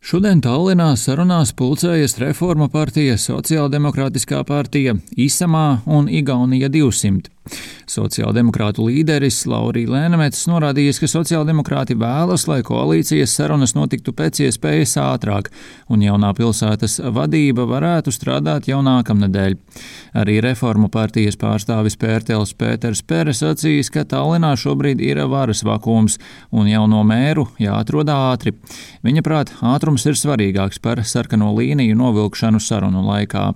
Šodien Tallinā sarunās pulcējas Reformu partija, Sociāldemokrātiskā partija, Isamā un Igaunija 200. Sociāldemokrātu līderis Laurija Lēnemets norādījis, ka sociāldemokrāti vēlas, lai koalīcijas sarunas notiktu pēc iespējas ātrāk, un jaunā pilsētas vadība varētu strādāt jau nākamnedēļ. Arī Reformu partijas pārstāvis Pērtels Pēters Pere sacījis, ka Tallinā šobrīd ir varas vakums, un jauno mēru jāatrod ātri. Viņa prāt, ātrums ir svarīgāks par sarkano līniju novilkšanu sarunu laikā.